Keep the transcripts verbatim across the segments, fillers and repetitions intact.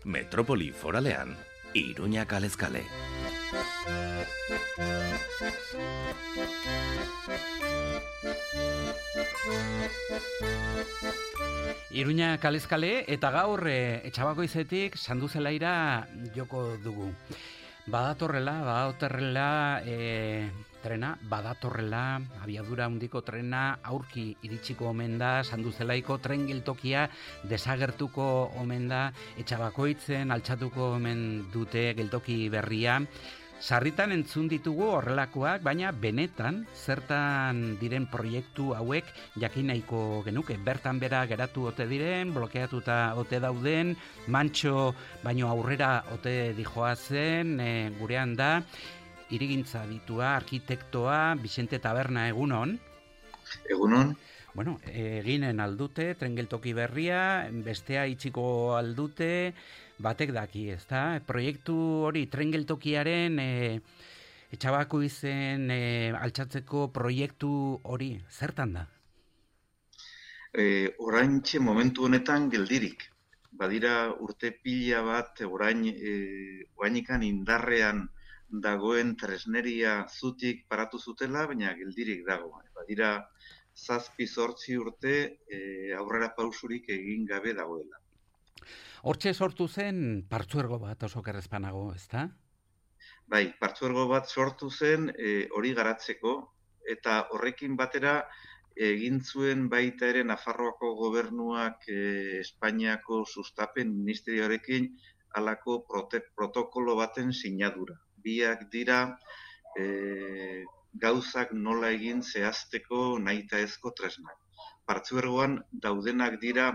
Metropoli foralean, Iruña kalez kale. Iruña kalez kale eta gaur e, Etxabakoizetik Sanduzelaira joko dugu. Badatorrela, badatorrela e, trena, badatorrela abiadura handiko trena aurki iritsiko omen da, Sanduzelaiko tren geltokia desagertuko omen da, Etxabakoitzen altxatuko omen dute geltoki berria. Sarritan entzun ditugu horrelakoak, baina benetan zertan diren proiektu hauek jakin nahiko genuke. Bertan bera geratu ote diren, blokeatuta ote dauden, mantxo baino aurrera ote dijoazen, e, gurean da, hirigintza ditua, arkitektoa, Bixente Taberna, egunon? Egunon. Bueno, eginen aldute, tren geltoki berria, bestea itxiko aldute, batek daki, ezta? Proiektu hori, tren geltokiaren e, Etxabakoizen e, altxatzeko proiektu hori, zertan da? E, oraintxe momentu honetan geldirik. Badira urte pila bat, orain, e, orainikan indarrean dagoen tresneria zutik paratu zutela, baina geldirik dago. Badira zazpi zortzi urte e, aurrera pausurik egin gabe dagoela. Hortxe sortu zen partzuergo bat oso kerrezpanago, ezta? Bai, partzuergo bat sortu zen e, hori garatzeko, eta horrekin batera egin zuen baita ere Nafarroako gobernuak e, Espainiako sustapen ministerioarekin halako prote- protokolo baten sinadura. Biak dira e, gauzak nola egin zehazteko nahitaezko tresnak. Partzuergoan daudenak dira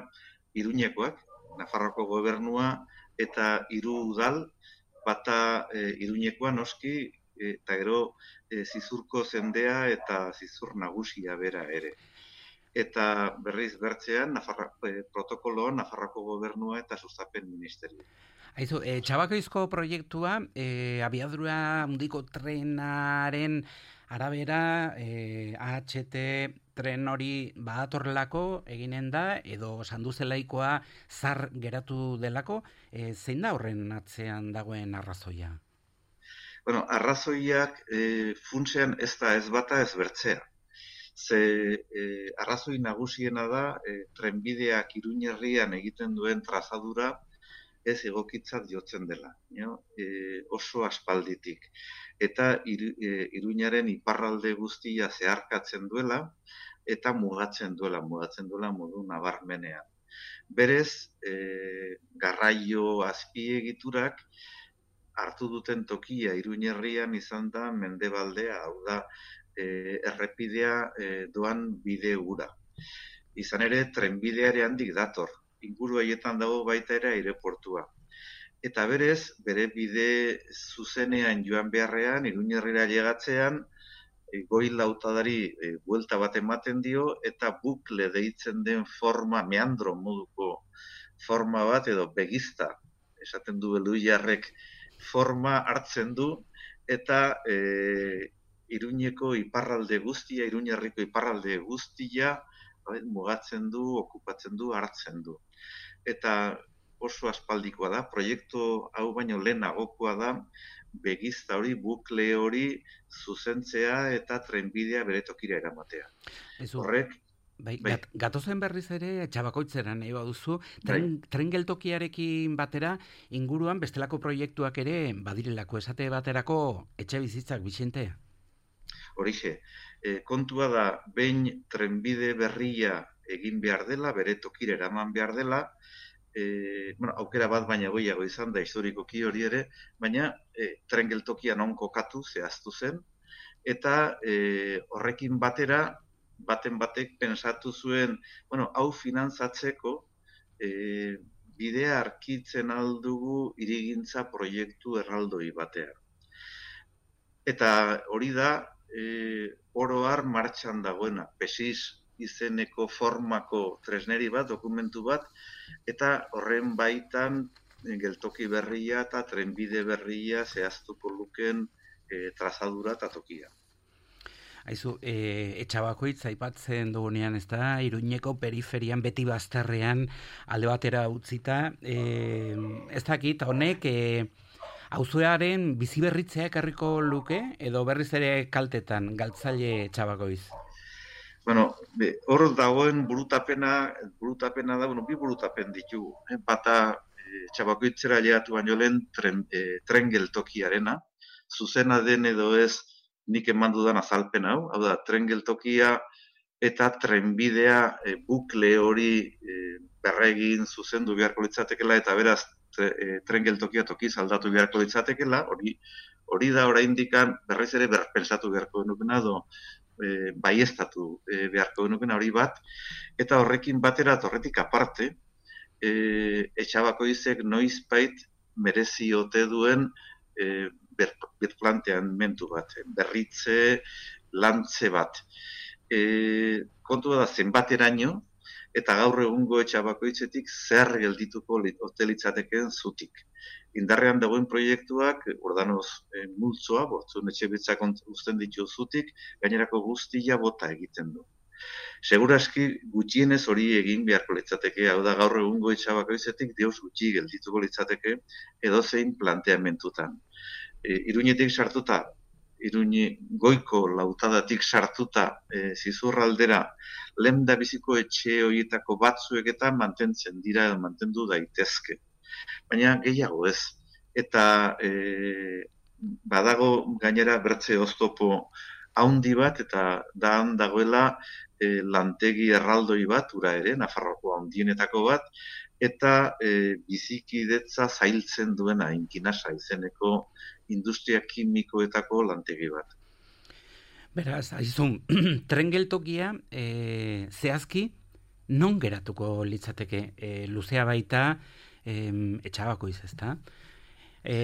Iruñekoak, Nafarroako gobernua eta hiru udal, bata e, Iruñekoa noski, eta gero e, Zizurko zendea eta Zizur nagusia bera ere. Eta berriz bertzean, Nafarra, e, protokoloan Nafarroako gobernua eta sustapen ministerio. Aizu, e, Txabakoizko proiektua, e, abiadura handiko trenaren arabera, e, A H T tren hori badatorrelako eginen da, edo Sanduzelaikoa zar geratu delako, e, zein da horren atzean dagoen arrazoia? Bueno, arrazoiak e, funtsean ez da ez bata ez bertzea. Ze e, arrazoi nagusiena da e, trenbideak Iruñerrian egiten duen trazadura ez egokitzat jotzen dela, no? e, oso aspalditik. Eta ir, e, Iruñaren iparralde guztia zeharkatzen duela, eta mugatzen duela, mugatzen duela modu nabarmenean. Berez, e, garraio azpiegiturak hartu duten tokia Iruñerrian izan da mendebaldea, hau da, e, errepidea e, doan bide ura. Izan ere, trenbideare handik dator, inguru haietan dago baita ere aireportua. Eta berez, bere bide zuzenean joan beharrean, Iruñerrira llegatzean, e, goi lautadari e, buelta bat ematen dio, eta bukle deitzen den forma, meandro moduko forma bat, edo begizta, esaten du beluiarrek, forma hartzen du, eta e, Iruñeko iparralde guztia, Iruñerriko iparralde guztia, mugatzen du, okupatzen du, hartzen du. Eta oso aspaldikoa da, proiektu hau baino lehenagokoa da, begizta hori, bukle hori zuzentzea eta trenbidea bere tokira eramatea. Ezu, Horrek, bai, bai. gat, gatozen berriz ere Txabakoitzera nahi baduzu, tren, tren geltokiarekin batera inguruan bestelako proiektuak ere badirelako, esate baterako etxe bizitzak, Bixente? Horixe, e, kontua da, behin trenbide berria egin behar dela, bere tokira eraman behar dela, e, bueno, aukera bat baina goiago izan da, historikoki hori ere, baina e, tren geltokia non kokatu zehaztu zen, eta e, horrekin batera, baten batek pensatu zuen, bueno, hau finantzatzeko, e, bidea arkitzen aldugu hirigintza proiektu erraldoi batean. Eta hori da, E, oro har martxan dagoena, pesis izeneko formako tresneri bat, dokumentu bat, eta horren baitan geltoki berria eta trenbide berria zehaztuko luken e, trazadura eta tokia. Aizu, e, Etxabakoitz aipatzen dugunean, ez da, Iruñeko periferian beti bazterrean alde batera utzita, e, ez dakit, honek, e, auzoaren biziberritzea ekarriko luke, edo berriz ere kaltetan, galtzaile Etxabakoitz? Bueno, hor dagoen burutapena, burutapena da, bueno, bi burutapen ditugu. Eh? Bata, e, Etxabakoitzera llegatu baino lehen tren, e, tren geltokiarena, zuzena den edo ez nik eman dudan azalpen hau, hau da, tren geltokia eta trenbidea e, bukle hori e, berregin zuzendu beharko litzatekela, eta beraz tre, e, tren geltokia tokiz aldatu beharko litzatekela, hori hori da oraindikan berriz ere berpensatu beharko genukena, edo e, baieztatu e, beharko genukena hori bat, eta horrekin batera, horretik aparte, e, Etxabakoitzek noizbait merezi ote duen e, birplanteamendu bat, berritze, lantze bat. E, kontua da zenbateraino, eta gaur egungo Etxabakoitzetik zer geldituko ote litzatekeen zutik. Indarrean dagoen proiektuak, ordanoz e, multzoa, bortzun etxebitzak uzten ditu zutik, gainerako guztia bota egiten du. Seguraski gutxienez hori egin beharko litzateke, hau da gaur egungo Etxabakoitzetik deus gutxi geldituko litzateke edozein planteamentutan. E, Iruñetik sartuta, Iruñe goiko lautadatik sartuta e, zizurraldera lenda biziko etxe horietako batzuek eta mantentzen dira edo mantendu daitezke. Baina gehiago ez. Eta e, badago gainera bertze oztopo haundi bat, eta da dagoela e, lantegi erraldoi bat, ura ere, Nafarroako handienetako bat, eta e, bizikidetza zailtzen duena Inkinasa izeneko industria kimikoetako lantegi bat. Beraz, aizun, tren geltokia e, zehazki non geratuko litzateke? E, luzea baita e, Etxabakoitz, ezta? E,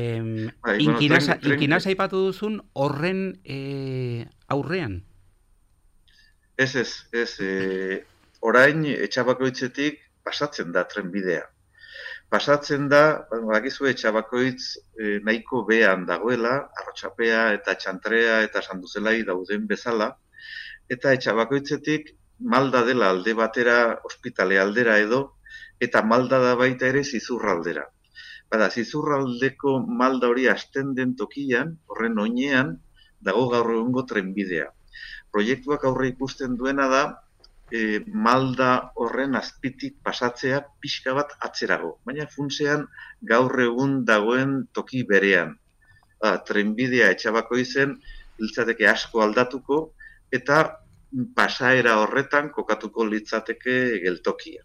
bai, Inkinasa, bueno, tren, Inkinasa ipatu duzun horren e, aurrean? Ez, ez, ez. E, orain Etxabakoitzetik pasatzen da trenbidea. Pasatzen da, bakizu Etxabakoitz e, nahiko behan dagoela, Arrotxapea eta Txantrea eta Sanduzelai dauden bezala, eta Etxabakoitzetik Malda dela alde batera, ospitale aldera edo, eta Malda da baita ere Zizurraldera. Bada, Zizurraldeko Malda hori hasten den tokian, horren oinean, dago gaur egungo trenbidea. Proiektuak aurre ikusten duena da, E, Malda horren azpitik pasatzea pixka bat atzerago. Baina funtsean gaur egun dagoen toki berean. Ba, trenbidea Etxabakoitzen litzateke asko aldatuko eta pasaera horretan kokatuko litzateke geltokia.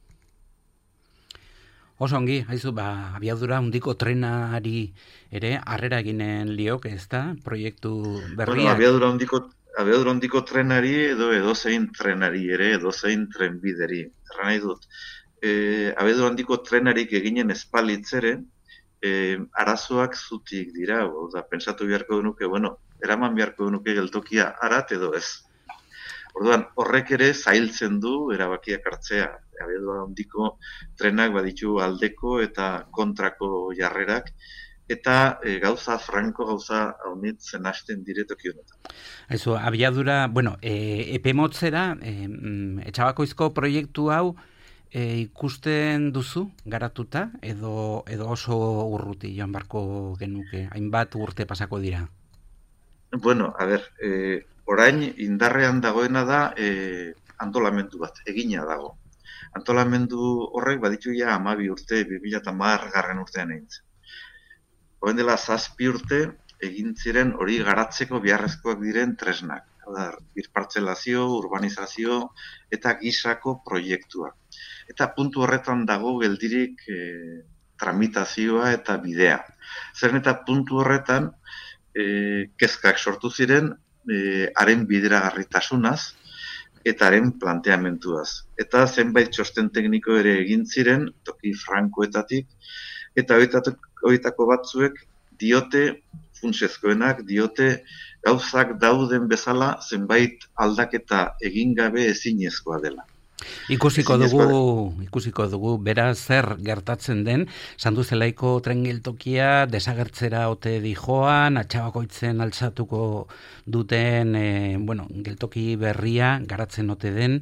Oso ongi, haizu, ba, abiadura handiko trenari ere harrera eginen liok, ez da? Proiektu berriak. Bueno, abiadura handiko Abiadura handiko trenari edo edozein trenari ere, edozein trenbideri. Erra nahi dut, e, abiadura handiko trenarik eginen espalitzere, e, arazoak zutik dira, oda, pensatu beharko genuke, bueno, eraman beharko genuke geltokia arat edo ez. Orduan, horrek ere zailtzen du erabakiak hartzea. Abiadura handiko trenak baditu aldeko eta kontrako jarrerak, eta e, gauza franko, gauza haunitzen hasten diretoki honetan. Eso, abiadura, bueno, e, epe motzera, e, Etxabakoizko proiektu hau e, ikusten duzu garatuta, edo, edo oso urruti joan barko genuke, hainbat urte pasako dira? Bueno, a ber, e, orain indarrean dagoena da e, antolamendu bat, egina dago. Antolamendu horrek baditu ja hamabi urte, bi mila hamar garren urtean egin zen. Hoen dela zazpi urte egin ziren hori garatzeko beharrezkoak diren tresnak. Birpartzelazio, urbanizazio eta gisako proiektuak. Eta puntu horretan dago geldirik e, tramitazioa eta bidea. Zeren eta puntu horretan e, kezkak sortu ziren e, haren bideragarritasunaz eta haren planteamentuaz. Eta zenbait txosten tekniko ere egin ziren, toki frankoetatik, eta horietako batzuek diote, funtsezkoenak, diote gauzak dauden bezala zenbait aldaketa egin gabe ezinezkoa dela. Ikusiko dugu, ikusiko dugu, beraz zer gertatzen den, Sanduzelaiko tren geltokia desagertzera ote dijoan, Atxabakoitzen altzatuko duten, e, bueno, geltoki berria garatzen ote den.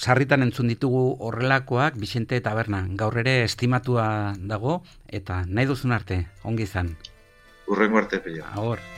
Sarritan entzun ditugu horrelakoak, Bixente Taberna, gaur ere estimatua dago, eta nahi duzun arte, ongi izan. Hurrengo arte, pila. Agor.